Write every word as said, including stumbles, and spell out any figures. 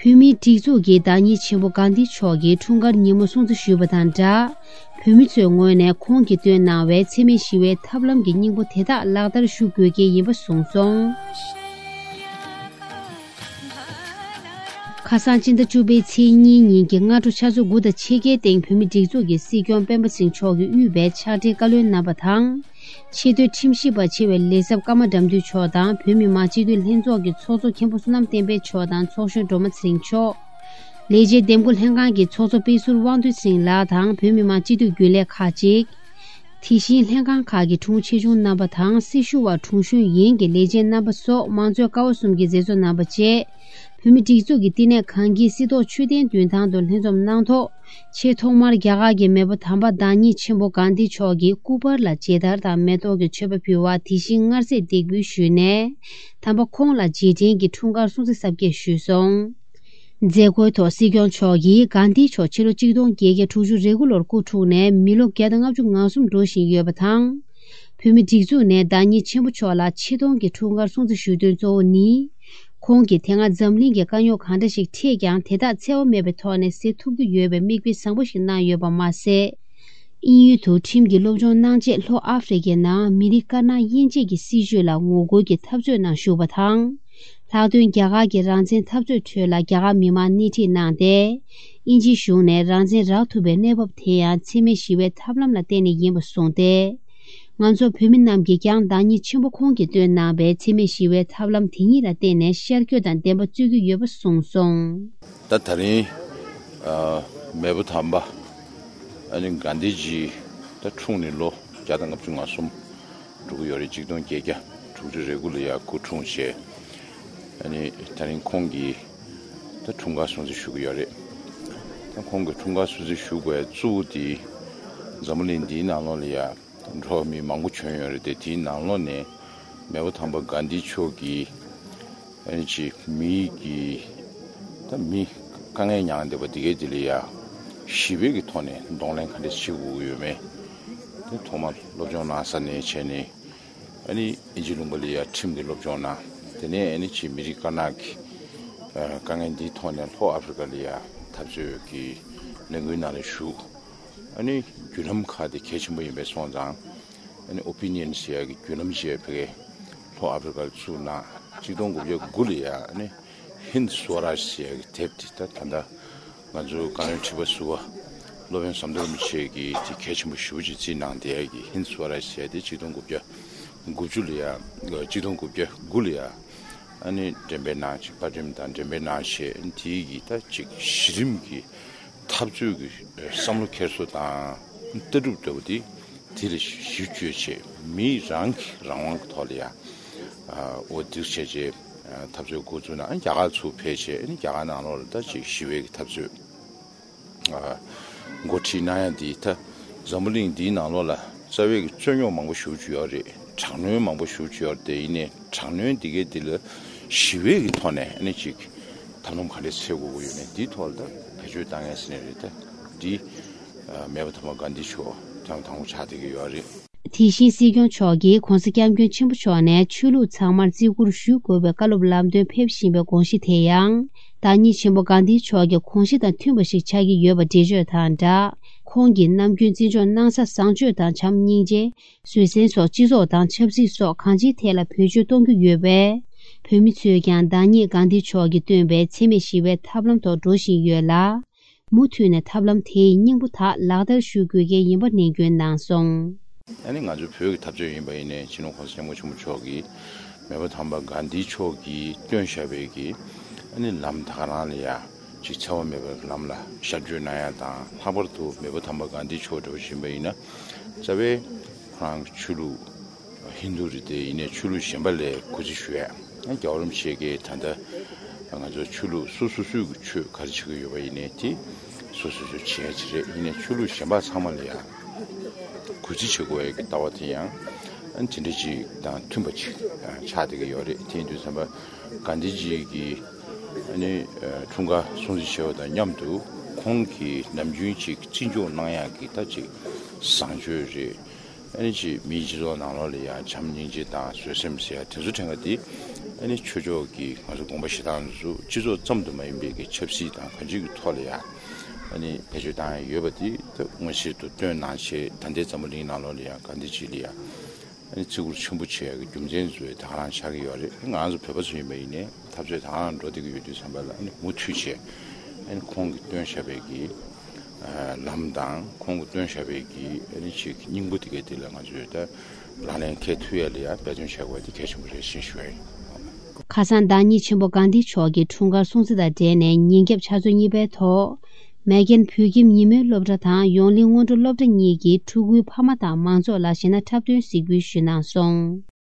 བོད་མིའི་སྒྲིག་འཛུགས་ཀྱི་བདག་ཉིད་ཆེན་པོ་གྷན་དྷི་མཆོག་གིས་འཁྲུངས་སྐར་ཉིན་མོ་སྲུང་བརྩི་ཞུས་པ་དང་སྦྲགས། བོད་མི་ཚོའི་ངོས་ནས་ཁོང་གིས་བཏོན་གནང་བའི་འཚེ་མེད་ཞི་བའི་ཐབས་ལམ་གྱི་སྙིང་པོ་དེ་དག་ལག་བསྟར་ཞུ་དགོས་གལ་ཡིན་པ་གསུངས་སོང་། ཁ་སང་སྤྱི་ཟླ་བཅུ་པའི་ཚེས་གཉིས་ཉིན་གྱི་སྔ་དྲོ་ཆུ་ཚོད་དགུ་དང་ཕྱེད་ཀའི་སྟེང་བོད་མིའི་སྒྲིག་འཛུགས་ཀྱི་སྲིད་སྐྱོང་སྤེན་པ་ཚེ་རིང་མཆོག་གིས་དབུས་པའི་ཕྱག་སྦྲེལ་བཀའ་བློན་རྣམ་པ་དང་། ཆེས་མཐོའི་ཁྲིམས་ཞིབ་པ་ཆེ་བའི་ལས་ཚབ་ཀརྨ་དགྲ་འདུལ་མཆོག་དང་བོད་མི་མང་སྤྱི་འཐུས་ལྷན་ཚོགས་ཀྱི་ཚོགས་གཙོ་མཁན་པོ་བསོད་ནམས་བསྟན་འཕེལ་མཆོག་དང་ཚོགས་གཞོན་སྒྲོལ་མ་ཚེ་རིང་མཆོག་ལས་བྱེད་འདེམས་བསྐོ་ལྷན་ཁང་གི་ཚོགས་གཙོ་དཔེ་ཟུར་དབང་འདུས་ཚེ་རིང་ལགས་དང་བོད་མི་མང་སྤྱི་འཐུས་རྒྱུན་ལས་ཁག་ཅིག་དེ་བཞིན་ལྷན་ཁང་ཁག་གི་དྲུང་ཆེ་ཆུང་རྣམ་པ་དང་སྲི་ཞུ་བ་དྲུང་གཞོན་ཡན་གྱི་ལས་བྱེད་རྣམ་པ་སོགས་མང་གཙོའི་ཀ་བ་གསུམ་གྱི་མཛད་གཙོ་རྣམ་པ་བཅས། བོད་མི་སྒྲིག་འཛུགས་ཀྱི་བསྟི་གནས་གངས་སྐྱིད་སྲིད་ཐོག་མཆོད་རྟེན་མདུན་ཐང་དུ་ལྷན་འཛོམས་གནང་ཐོག་ཆེས་ཐོག་མར་རྒྱ་གར་གྱི་མེས་པོ་དམ་པ་བདག་ཉིད་ཆེན་པོ་གྷན་དྷི་མཆོག་གི་སྐུ་པར་ལ་མཇལ་དར་དང་མེ་ཏོག་གི་མཆོད་པ་ཕུལ་བ་དེ་བཞིན་མངར་ཟས་འདེགས་འབུལ་ཞུས་ནས། དམ་པ་ཁོང་ལ་རྗེས་དྲན་གྱི་འཁྲུངས་སྐར་སྲུང་བརྩི་གཟབ་རྒྱས་ཞུས་སོང་། མཛད་སྒོའི་ཐོག་སྲིད་སྐྱོང་མཆོག་གིས་གྷན་དྷི་མཆོག་ཕྱི་ལོ་ཆིག་སྟོང་བརྒྱད་བརྒྱ་དྲུག་ཅུ་རེ་དགུ་ལོར་སྐུ་འཁྲུངས་ནས་མི་ལོ་བརྒྱ་དང་ལྔ་བཅུ་ང་གསུམ་འགྲོ་བཞིན་ཡོད་པ་དང་། བོད་མི་སྒྲིག་འཛུགས་ནས་བདག་ཉིད་ཆེན་པོ་མཆོག་ལ་ཆེ་མཐོང་གི་འཁྲུངས་སྐར་སྲུང་བརྩི་ཞུ་དོན་གཙོ་བོ་ནི། ཁོང་གིས་དེ་སྔ་འཛམ་གླིང་གི་དཀའ་རྙོག་གང་འདྲ་ཞིག་འཕྲད་ཀྱང་དེ་དག་འཚེ་བ་མེད་པའི་ཐོག་ནས་སེལ་ཐུབ་ཀྱི་ཡོད་པའི་མིག་དཔེ་བཟང་པོ་ཞིག་གནང་ཡོད་པ་མ་ཟད། དབྱིན་ཡུལ་དུ་ཁྲིམས་ཀྱི་སློབ་སྦྱོང་གནང་རྗེས་ལྷོ་ཨ་ཧྥེ་རི་ཁའི་ནང་མི་རིགས་དཀར་ནག་དབྱེ་འབྱེད་ཀྱི་སྲིད་བྱུས་ལ་ངོ་རྒོལ་གྱི་འཐབ་རྩོད་ནང་ཞུགས་པ་དང་། ལྷག་དོན་རྒྱ་གར་གྱི་རང་བཙན་འཐབ་རྩོད་ཁྲོད་ལ་རྒྱ་གར་མི་མང་སྣེ་ཁྲིད་གནང་སྟེ། དབྱིན་ཇིའི་གཞུང་ནས་རང་བཙན་རག་ཐུབ་པའི་གནས་བབ་དེ་ཡང་འཚེ་མེད་ཞི་བའི་ཐབས་ལམ་ལ་བརྟེན་ནས་ཡིན་པ་གསུངས་ཏེ། ང་ཚོ་བོད་མི་རྣམས་ཀྱིས་ཀྱང་བདག་ཉིད་ཆེན་པོ་ཁོང་གིས་བཏོན་གནང་བའི་འཚེ་མེད་ཞི་བའི་ཐབས་ལམ་དེ་ཉིད་ལ་བརྟེན་ནས་ཤར་བསྐྱོད་དང་བདེན་པ་རྩོད་ཀྱི་ཡོད་པ་གསུངས་སོང་། ད་ད་རིང་ཨ་མེས་པོ་དམ་པ་ཨ་ནི་གྷན་དྷི་ཇི་ད་འཁྲུངས་ནས་ལོ་བརྒྱ་དང་ལྔ་བཅུ་ང་གསུམ་འགྲོ་གི་ཡོད་རེད། ཆིག་སྟོང་བརྒྱད་བརྒྱ་དྲུག་ཅུ་རེ་དགུ་ལ་ཡ་སྐུ་འཁྲུངས་བྱས། ཨ་ནི་ད་རིང་ཁོང་གི་ད་འཁྲུངས་སྐར་སྲུང་བརྩི་ཞུ་གི་ཡོད་རེད། ད་ཁོང་གི་འཁྲུངས་སྐར་སྲུང་བརྩི་ཞུ་དགོས་གཙོ་བོ་དེ་འཛམ་བུ་གླིང་འདིའི་ནང་ལོགས་ལ་ཡ་འགྲོ་བ་མི་མང་པོ་བྱོན་ཡོད་རེད་དེ། དེའི་ནང་ལོགས་ནས་མེས་པོ་དམ་པ་གྷན་དྷི་མཆོག་གིས་ཨ་ནི་ཅིག་མི་གི་ད་མི་དཀའ་ངལ་མྱངས་བསྡད་པ་དེ་གའི་དེ་ལ་ཡ་ཞི་བའི་གི་ཐོག་ནས་གདོང་ལེན་ག་འདྲས་བྱེད་དགོས་ཀྱི་ཡོད་མེད་དེ་ཐོག་མར་སློབ་སྦྱོང་གནང་ས་ནས་བྱས་ནས། ཨ་ནི་དབྱིན་ཇི་ལུང་པ་ལ་ཡ་ཁྲིམས་ཀྱི་སློབ་སྦྱོང་གནང་། དེ་ནས་ཨ་ནི་ཅིག་མི་རིགས་དཀར་ནག་གི་ཨ་དཀའ་ངལ་འདིའི་ཐོག་ནས་ལྷོ་ཨ་ཧྥེ་རི་ཁ་ལ་ཡ་འཐབ་རྩོད་ཀྱི་ལས་འགུལ་ནང་ལ་ཞུགས། ཨ་ནི་བརྒྱུད་ལམ་ཁག་དེ་གལ་ཆེན་པོ་ཡིན་པའི་སོང་ཙང་། ཨ་ནི་ཨོ་པི་ནི་ཡན་ཟེར་ཡ་གི་བརྒྱུད་ལམ་ཅིག་ཕ་གིའི་ལྷོ་ཨ་ཧྥེ་རི་ཁ་ལ་བཙུགས་གནང་། ཆིག་སྟོང་དགུ་བརྒྱ་དགུ་ལ་ཡ་ཨ་ནི་ཧིན་སུ་རཱཇ་ཟེར་ཡ་གི་དེབ་དེ་ད་ད་ལྟ་ང་ཚོའི་བཀའ་བློན་ཁྲི་པ་ཟུར་པ་སློབ་དཔོན་ཟམ་གདོང་རིན་པོ་ཆེ་གིས་དེ་གལ་ཆེན་པོ་ཞེ་པོ་ཅིག་བརྩིས་གནང་བསྡད་ཡ་གི་ཧིན་སུ་རཱཇ་ཟེར་ཡ་དེ་ཆིག་སྟོང་དགུ་བརྒྱ་དགུ་བཅུ་ལ་ཡ་ཆིག་སྟོང་དགུ་བརྒྱ་དགུ་ལ་ཡ་ཨ་ནི་འགྲེམས་སྤེལ་གནང་། ཅིག་པར་འགྲེམས་དང་འགྲེམས་སྤེལ་གནང་བྱས། དེའི་གི་ད་ཅིག་གཞི་རིམ་གྱི་འཐབ་རྩོད་ཀྱི་བསམ་བློ་འཁྱེར་སོ་དང་ལྟ་གྲུབ་ལྟ་བུ་དེ་དེ་ལ་གཞི་བཅོལ་བྱས། མི་རང་གི་རང་དབང་གི་ཐོག་ལ་ཡ་འོ་འདུག་བྱས་བྱས་འཐབ་རྩོད་འགོ་བཙུགས་ན། རྒྱ་གར་ཚུར་ཕེབས་བྱས་རྒྱ་གར་ནང་ལོགས་ལ་ད་ཅིག་ཞི་བའི་གི་འཐབ་རྩོད་འགོ་ཁྲིད་གནང་ཡ་འདི་ད་འཛམ་བུ་གླིང་འདིའི་ནང་ལོགས་ལ་རྩ་བའི་གི་རྩོད་རྙོག་མང་པོ་ཞེ་པོ་ཅིག་ཡོད་རེད། དྲག་གནོན་མང་པོ་ཞེ་པོ་ཅིག་ཡོད་རེད། དེ་ཡིན་ནའི་དྲག་གནོན་འདི་གའི་འདི་ལ་ཞི་བའི་གི་ཐོག་ནས་ཨ་ནི་ཅིག་ཐབས་ལམ་ག་འདྲས་འཚོལ་དགོས་ཀྱི་ཡོད་མེད་འདིའི་ཐོག་ལ་ད་བེད་སྤྱོད་བཏང་ཡ་ཟེར་ནའི་རེད། ད་འདི་མེས་པོ་དམ་པ་གྷན་དྷི་མཆོག་ཐེངས་དང་པོ་ཆགས་བསྡད་ཀྱི་ཡོད་རེད། དེ་བཞིན་སྲིད་སྐྱོང་མཆོག་གིས་༸གོང་ས་༸སྐྱབས་མགོན་ཆེན་པོ་མཆོག་ནས་ཆོས་ལུགས་ཚང་མར་བརྩི་བཀུར་ཞུ་དགོས་པའི་བཀའ་སློབ་ལམ་སྟོན་ཕེབས་བཞིན་པའི་དགོངས་གཞི་དེ་ཡང་། བདག་ཉིད་ཆེན་པོ་གྷན་དྷི་མཆོག་གི་དགོངས་གཞི་དང་མཐུན་པ་ཞིག་ཆགས་ཀྱི་ཡོད་པ་འགྲེལ་བརྗོད་དང་སྦྲགས། ཁོང་གིས་ནམ་རྒྱུན་བརྩི་འཇོག་གནང་ས་བཟང་སྤྱོད་དང་བྱམས་སྙིང་རྗེ། བཟོད་བསྲན་སོགས་སྤྱི་ཚོགས་དང་ཆབ་སྲིད་སོགས་གང་ཅིའི་ཐད་ལ་བེད་སྤྱོད་གཏོང་རྒྱུ་ཡོད་པས། བོད་མི་ཚོས་ཀྱང་བདག་ཉིད་གྷན་དྷི་མཆོག་གིས་བཏོན་པའི་འཚེ་མེད་ཞི་བའི་ཐབས་ལམ་ཐོག་འགྲོ་བཞིན་ཡོད་ལ། མུ་མཐུད་ནས་ཐབས་ལམ་དེའི་སྙིང་པོ་དག་ལག་བསྟར་ཞུ་དགོས་གལ་ཡིན་པ་ནན་སྐྱོན་གནང་སོང་། ཨ་ནི་ང་ཚོའི་བོད་ཀྱི་འཐབ་རྩོད་ཡིན་པ་ཡིན་ནའི་སྤྱི་ནོར་༸གོང་ས་༸སྐྱབས་མགོན་ཆེན་པོ་མཆོག་གིས་མེས་པོ་དམ་པ་གྷན་དྷི་མཆོག་གིས་བཏོན་བཞག་པའི་གི་ཨ་ནི་ལམ་ད་ག་རང་ལ་ཡ་ཅིག་འཚེ་བ་མེད་པའི་ལམ་ལ་ཤར་བསྐྱོད་གནང་ཡ་དང་། ལྷག་པར་དུ་མེས་པོ་དམ་པ་གྷན་དྷི་མཆོག་འདྲ་བོ་ཞིག་ཡིན་པ་ཡིན་ན་རྩ་བའི་ཁོ་རང་གི་ཆོས་ལུགས་ཧིན་རྡུ་རེད་དེ། ཡིན་ནའི་ཆོས་ལུགས་གཞན་པ་ལས་གུས་བརྩི་ཞུ་ཡ། རྒྱལ་བ་རིན་པོ་ཆེ་གིས་ད་ལྟ་ང་ཚོ་ཆོས་ལུགས་སོ་སོ་སོའི་གི་ཆོས་ག་རེ་བྱེད་ཀྱི་ཡོད་པ་ཡིན་ནའི་དེ་སོ་སོ་སོ་བྱེད་ཡ་ཅིག་རེད། ཡིན་ནའི་ཆོས་ལུགས་གཞན་པ་ཚང་མ་ལ་ཡང་གུས་བརྩི་བྱེད་དགོས་ཡ་གི་ལྟ་བ་དེ་ཡང་དེ་འདྲ་ཅིག་དང་མཐུན་པ་ཅིག་ཆགས་བསྡད་ཀྱི་ཡོད་རེད། དེ་ཡིན་དུས་ཙམ་པ་གྷན་དྷི་ཇི་གི་ཨ་ནི་འཁྲུངས་སྐར་སྲུང་བརྩི་བྱས་པ་དང་མཉམ་དུ་ཁོང་གིས་ནམ་རྒྱུན་ཅིག་བརྩི་འཇོག་གནང་ཡ་གི་ད་ཅིག་བཟང་སྤྱོད་རེད། ཨ་ནི་ཅིག་མིའི་སྤྱི་ཚོགས་ནང་ལོགས་ལ་ཡང་བྱམས་སྙིང་རྗེ་དང་བཟོད་སེམས་ཟེར་ཡ་དེ་ཚོ་དྲན་ག་དེ་ ཨ་ནི་ཆོས་ཕྱོགས་ཀྱི་ང་ཚོ་དགོངས་པ་བཞེས་སྟངས་ཚོ་སྤྱི་ཚོགས་ཙམ་དུ་མ་ཡིན་པའི་གི་ཆབ་སྲིད་དང་གང་ཅིའི་གི་ཐོག་ལ་ཡང་ཨ་ནི་བེད་སྤྱོད་བཏང་ཡ་ཡོད་པ་དེ་ད་མངོན་གསལ་དུ་སྟོན་གནང་བྱས། ད་ལྟའི་འཛམ་བུ་གླིང་ནང་ལོགས་ལ་ཡང་ག་འདྲ་ཅིག་ལ་ཡང་ཨ་ནི་བརྩི་བཀུར་ཆེན་པོ་བྱེད་ཡ་གི་རྒྱུ་མཚན་ཚོ་ད་ག་རང་ཆགས་ཀྱི་ཡོད་རེད། ང་ཚོ་བོད་པ་ཚོ་ཡིན་པ་ཡིན་ནའི་འཐབ་རྩོད་ད་ག་རང་འགྲོ་བསྡད་ཀྱི་ཡོད་དུས་ཙམ་པ་ལ་ཨ་ནི་མུ་མཐུད་བྱས་ཨ་ནི་ཁོང་གིས་སྟོན་བཞག་པའི་གི་ལམ་དང་ཁོང་གིས་སྟོན་བཞག་པའི་གི་ཨ་ནི་ཅིག་སྙིང་པོ་དེ་གའི་དེ་ལ་ང་ཚོས་ད་ལག་ལེན་འཁེལ་ཐུབ་ཡ་ལ་ཡང་འབད་བརྩོན་བྱ་དགོས་པ་དེ་གལ་ཆེན་པོ་རེད་ཅེས་ཞུ་ཡ་ཡིན། ཁ་སང་བདག་ཉིད་ཆེན་པོ་གྷན་དྷི་མཆོག་གི་འཁྲུངས་སྐར་སྲུང་བརྩི་དང་འབྲེལ་ནས་ཉིན་རྒྱབ་ཆུ་ཚོད་གཉིས་པའི་ཐོག་མེ་རྒྱལ་བོད་ཁྱིམ་ཉིན་མོའི་སློབ་གྲྭ་དང་ཡོངས་གླིང་སྔོན་འགྲོ་སློབ་གྲྭ་གཉིས་ཀྱི་ཕྲུ་གུའི་ཕ་མ་དང་མང་ཚོགས་ལ་གཞས་སྣ་འཁྲབ་སྟོན་གཟིགས་འབུལ་ཞུས་གནང་སོང་།